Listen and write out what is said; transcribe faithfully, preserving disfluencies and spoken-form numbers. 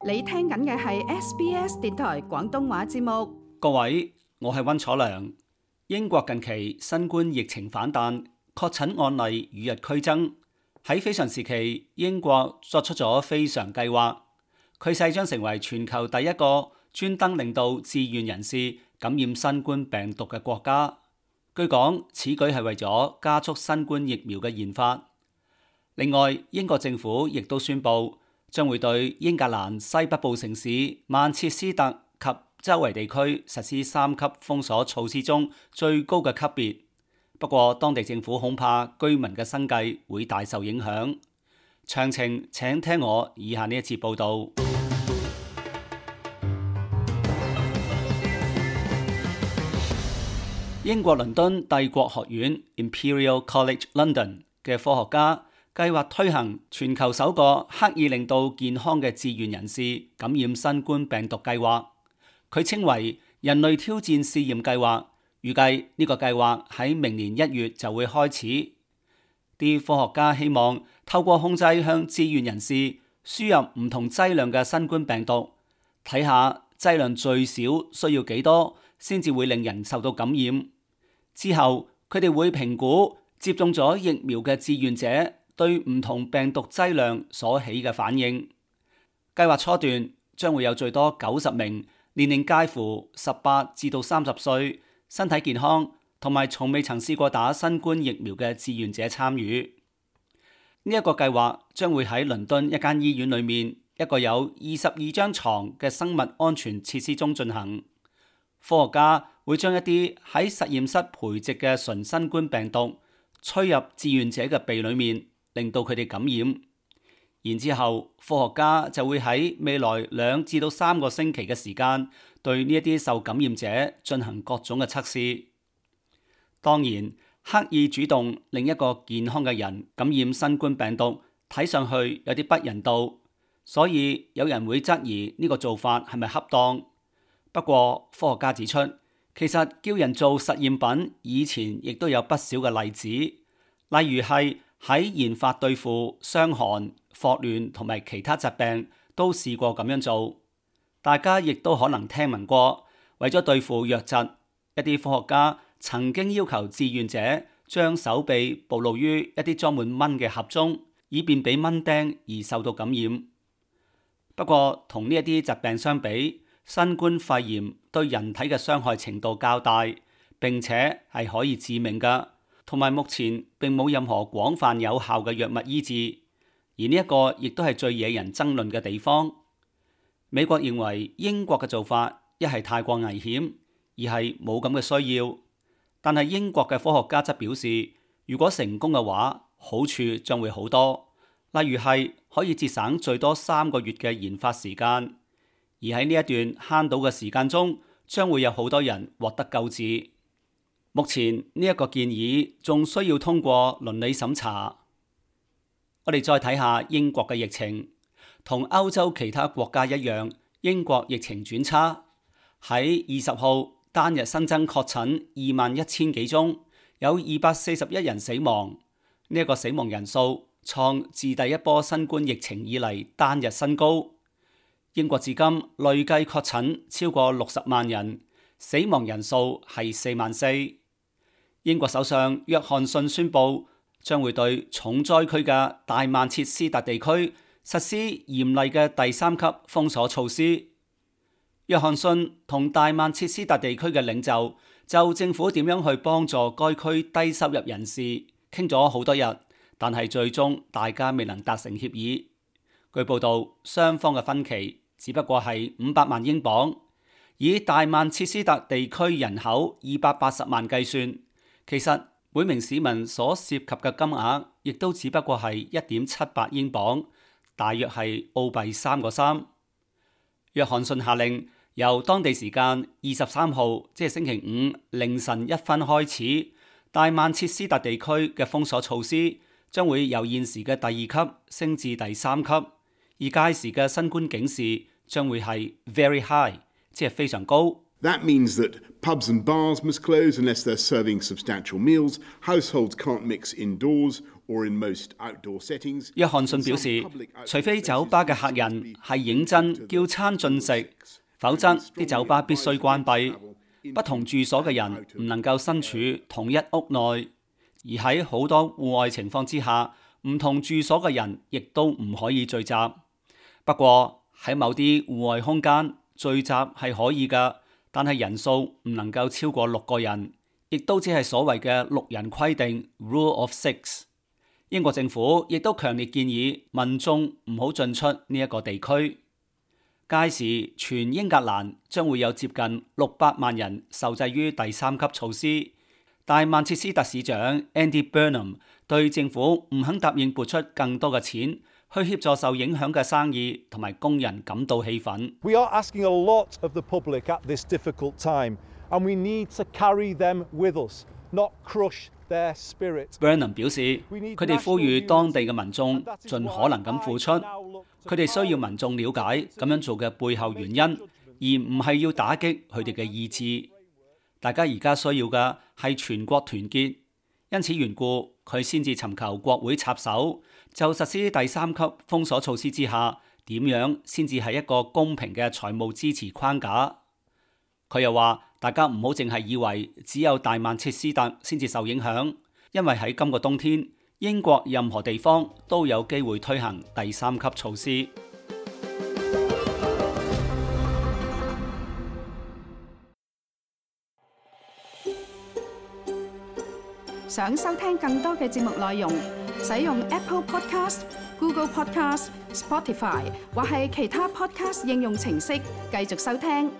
你聽緊嘅係 S B S 電台廣東話節目。各位，我係溫楚良。英國近期新冠疫情反彈，確診案例與日俱增。喺非常時期，英國作出咗非常計劃，佢勢將成為全球第一個專登令到志願人士感染新冠病毒嘅國家。據講，此舉係為咗加速新冠疫苗嘅研發。另外，英國政府亦都宣布，將會對英格蘭西北部城市曼徹斯特及周圍地區實施三級封鎖措施中最高嘅級別。不過，當地政府恐怕居民嘅生計會大受影響。詳情請聽我以下呢一節報導。英國倫敦帝國學院 Imperial College London 嘅科學家計劃推行全球首個刻意令到健康嘅志願人士感染新冠病毒計劃，佢稱為人類挑戰試驗計劃。預計呢個計劃喺明年一月就會開始。啲科學家希望透過控制向志願人士輸入唔同劑量嘅新冠病毒，睇下劑量最少需要幾多先至會令人受到感染。之後佢哋會評估接種咗疫苗嘅志願者對唔同病毒劑量所起嘅反應。計劃初段將會有最多九十名年齡介乎十八至到三十歲、身體健康同埋從未曾試過打新冠疫苗嘅志願者參與。呢一個計劃將會喺倫敦一間醫院裏面一個有二十二張床嘅生物安全設施中進行。科學家會將一啲喺實驗室培植嘅純新冠病毒吹入志願者嘅鼻裏面，令到佢哋感染。然之後，科學家就會喺未來兩至到三個星期嘅時間，對呢一啲受感染者進行各種嘅測試。當然，刻意主動令一個健康嘅人感染新冠病毒，睇上去有啲不人道，所以有人會質疑呢個做法係咪恰當。不過，科學家指出，其實叫人做實驗品以前亦都有不少嘅例子，例如係喺研發對付傷寒、霍亂同埋其他疾病都試過咁樣做。大家亦都可能聽聞過，為咗對付瘧疾，一啲科學家曾經要求志願者將手臂暴露於一啲裝滿蚊嘅盒中，以便俾蚊叮而受到感染。不過，同呢一啲疾病相比，新冠肺炎對人體嘅傷害程度較大，並且係可以致命㗎，同埋目前並冇任何廣泛有效嘅藥物醫治。而呢一個亦都係最惹人爭論嘅地方。美國認為英國嘅做法一係太過危險，二係冇咁嘅需要。但係英國嘅科學家則表示，如果成功嘅話，好處將會好多，例如係可以節省最多三個月嘅研發時間。而喺呢一段慳到嘅時間中，將會有好多人獲得救治。目前呢一個建議仲需要通過倫理審查。我哋再睇下英國嘅疫情，同歐洲其他國家一樣，英國疫情轉差。喺二十號單日新增確診二萬一千幾宗，有二百四十一人死亡。呢一個死亡人數創自第一波新冠疫情以嚟單日新高。英國至今累計確診超過六十萬人，死亡人數係四萬四。英國首相約翰遜宣布將會對重災區嘅大曼徹斯特地區實施嚴厲嘅第三級封鎖措施。約翰遜同大曼徹斯特地區嘅領袖就政府點樣去幫助該區低收入人士傾咗好多日，但係最終大家未能達成協議。據報道，雙方嘅分歧只不過係五百萬英鎊，以大曼徹斯特地區人口二百八十萬計算，其實每名市民所涉及嘅金額亦都只不過係一點七八英鎊，大約係澳幣三個三。約翰遜下令，由當地時間二十三號，即係星期五凌晨一分開始，大曼徹斯特地區嘅封鎖措施將會由現時嘅第二級升至第三級，而屆時嘅新冠警示將會係 very high， 即係非常高。That means that pubs and bars must close unless they're serving substantial meals, households can't mix indoors, or in most outdoor settings. 約翰遜表示，除非酒吧嘅客人係認真叫餐進食，否則啲酒吧必須關閉。不同住所嘅人唔能夠身處同一屋內，而喺好多戶外情況之下，唔同住所嘅人亦都唔可以聚集。不過喺某啲戶外空間聚集係可以㗎，但係人數唔能夠超過六個人，亦都只係所謂嘅六人規定 （Rule of Six）。英國政府亦都強烈建議民眾唔好進出呢一個地區。屆時，全英格蘭將會有接近六百萬人受制於第三級措施。但曼徹斯特市長 Andy Burnham 對政府唔肯答應撥出更多嘅錢去協助受影響嘅生意同埋工人感到氣憤。We are asking a lot of the public at this difficult time, and we need to carry them with us, not crush their spirit. Burnham 表示，佢哋呼籲當地嘅民眾盡可能咁付出，佢哋需要民眾了解咁樣做嘅背後原因，而唔係要打擊佢哋嘅意志。大家而家需要嘅係全國團結，因此緣故，佢先至尋求國會插手，就實施第三級封鎖措施之下，點樣先至係一個公平嘅財務支持框架。佢又話：大家唔好淨係以為只有大曼徹斯特先至受影響，因為喺今個冬天，英國任何地方都有機會推行第三級措施。想收聽更多嘅節目內容，使用 Apple Podcast、Google Podcast、Spotify 或係其他 Podcast 應用程式繼續收聽。